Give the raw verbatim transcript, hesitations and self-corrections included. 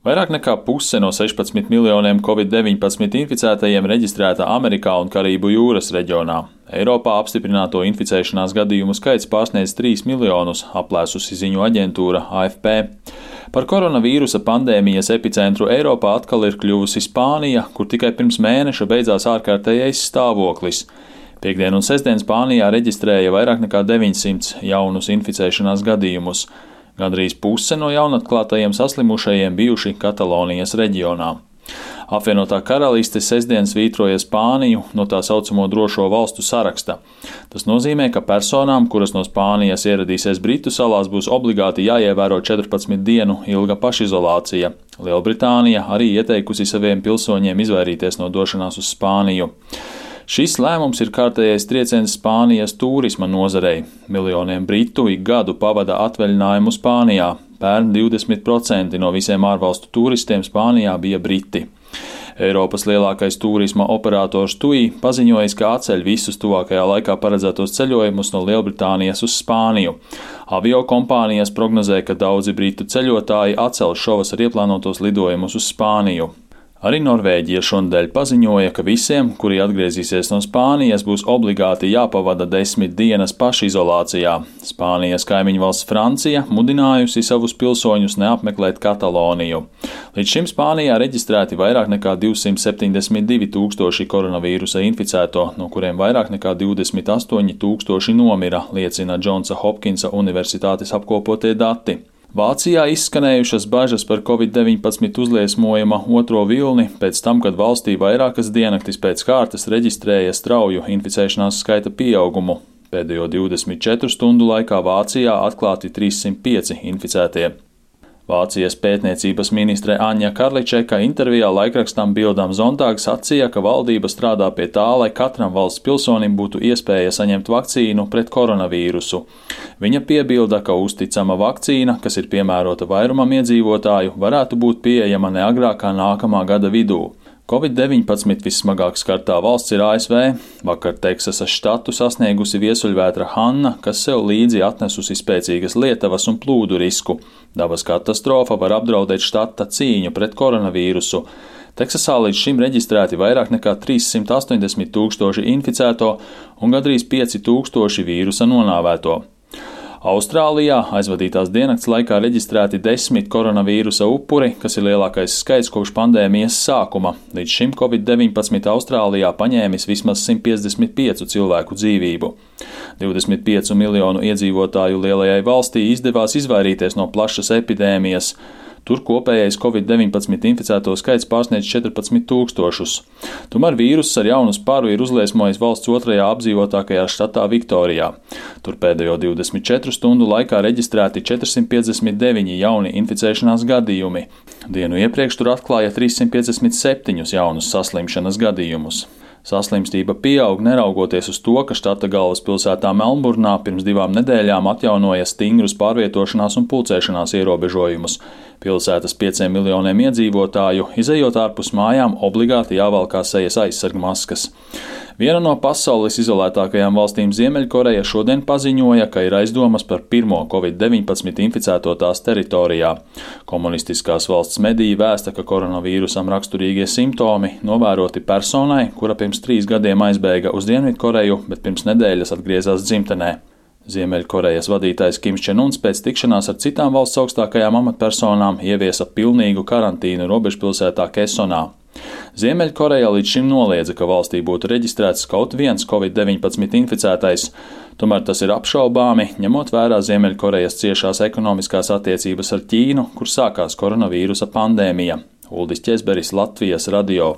Vairāk nekā puse no sešpadsmit miljoniem covid deviņpadsmit inficētajiem reģistrēta Amerikā un Karību jūras reģionā. Eiropā apstiprināto inficēšanās gadījumu skaits pārsniedz trīs miljonus, aplēsusi ziņu aģentūra A F P. Par koronavīrusa pandēmijas epicentru Eiropā atkal ir kļuvusi Spānija, kur tikai pirms mēneša beidzās ārkārtējais stāvoklis. Piektdien un sestdien Spānijā reģistrēja vairāk nekā deviņsimt jaunus inficēšanās gadījumus. Gandrīz puse no jaunatklātajiem saslimušajiem bijuši Katalonijas reģionā. Apvienotā karaliste sestdien svītroja Spāniju no tā saucamo drošo valstu saraksta. Tas nozīmē, ka personām, kuras no Spānijas ieradīsies Britu salās, būs obligāti jāievēro četrpadsmit dienu ilga pašizolācija. Lielbritānija arī ieteikusi saviem pilsoņiem izvairīties no došanās uz Spāniju. Šis lēmums ir kārtējais trieciens Spānijas turisma nozarei. Miljoniem britu ik gadu pavada atvaļinājumu Spānijā. Pērn divdesmit procenti no visiem ārvalstu turistiem Spānijā bija briti. Eiropas lielākais turisma operators T U I paziņojis, ka atceļ visus tuvākajā laikā paredzētos ceļojumus no Lielbritānijas uz Spāniju. Avio kompānijas prognozē, ka daudzi britu ceļotāji atcel šovasar ieplānotos lidojumus uz Spāniju. Arī Norvēģija šonadēļ paziņoja, ka visiem, kuri atgriezīsies no Spānijas, būs obligāti jāpavada desmit dienas pašizolācijā. Spānijas kaimiņu valsts Francija mudinājusi savus pilsoņus neapmeklēt Kataloniju. Līdz šim Spānijā reģistrēti vairāk nekā divsimt septiņdesmit divi tūkstoši koronavīrusa inficēto, no kuriem vairāk nekā divdesmit astoņi tūkstoši nomira, liecina Džonsa Hopkinsa universitātes apkopotie dati. Vācijā izskanējušas bažas par covid deviņpadsmit uzliesmojuma otro vilni pēc tam, kad valstī vairākas diennaktis pēc kārtas reģistrēja strauju inficēšanās skaita pieaugumu. Pēdējo divdesmit četru stundu laikā Vācijā atklāti trīssimt pieci inficētie. Vācijas pētniecības ministre Aņa Karličeka intervijā laikrakstam Bild am Sonntag sacīja, ka valdība strādā pie tā, lai katram valsts pilsonim būtu iespēja saņemt vakcīnu pret koronavīrusu. Viņa piebilda, ka uzticama vakcīna, kas ir piemērota vairumam iedzīvotāju, varētu būt pieejama ne agrāk kā nākamā gada vidū. covid deviņpadsmit vissmagāk skartā valsts ir A S V. Vakar Teksasas štatu sasniegusi viesuļvētra Hanna, kas sev līdzi atnesusi spēcīgas lietavas un plūdu risku. Dabas katastrofa var apdraudēt štata cīņu pret koronavīrusu. Teksasā līdz šim reģistrēti vairāk nekā trīssimt astoņdesmit tūkstoši inficēto un gandrīz pieci tūkstoši vīrusa nonāvēto. Austrālijā aizvadītās diennakts laikā reģistrēti desmit koronavīrusa upuri, kas ir lielākais skaits kopš pandēmijas sākuma. Līdz šim covid deviņpadsmit Austrālijā paņēmis vismaz simt piecdesmit pieci cilvēku dzīvību. divdesmit pieci miljonu iedzīvotāju lielajai valstī izdevās izvairīties no plašas epidēmijas. Tur kopējais covid deviņpadsmit inficēto skaits pārsniedz četrpadsmit tūkstošus. Tomēr vīruss ar jaunu sparu ir uzliesmojis valsts otrajā apdzīvotākajā štatā Viktorijā. Tur pēdējo divdesmit četru stundu laikā reģistrēti četrsimt piecdesmit deviņi jauni inficēšanās gadījumi. Dienu iepriekš tur atklāja trīssimt piecdesmit septiņus jaunus saslimšanas gadījumus. Saslimstība pieaug neraugoties uz to, ka štata galvaspilsētā Melnburnā pirms divām nedēļām atjaunoja stingrus pārvietošanās un pulcēšanās ierobežojumus. Pilsētas pieciem miljoniem iedzīvotāju, izejot ārpus mājām, obligāti jāvalkā sejas aizsargmaskas. Viena no pasaules izolētākajām valstīm Ziemeļkoreja šodien paziņoja, ka ir aizdomas par pirmo covid deviņpadsmit inficēto tās teritorijā. Komunistiskās valsts mediji vēsta, ka koronavīrusam raksturīgie simptomi novēroti personai, kura pirms trīs gadiem aizbēga uz Dienvidkoreju, bet pirms nedēļas atgriezās dzimtenē. Ziemeļkorejas vadītājs Kims Čen Uns pēc tikšanās ar citām valsts augstākajām amatpersonām ieviesa pilnīgu karantīnu robežpilsētā Kesonā. Ziemeļkoreja līdz šim noliedza, ka valstī būtu reģistrēts kaut viens covid deviņpadsmit inficētais. Tomēr tas ir apšaubāmi, ņemot vērā Ziemeļkorejas ciešās ekonomiskās attiecības ar Ķīnu, kur sākās koronavīrusa pandēmija. Uldis Ķezberis, Latvijas radio.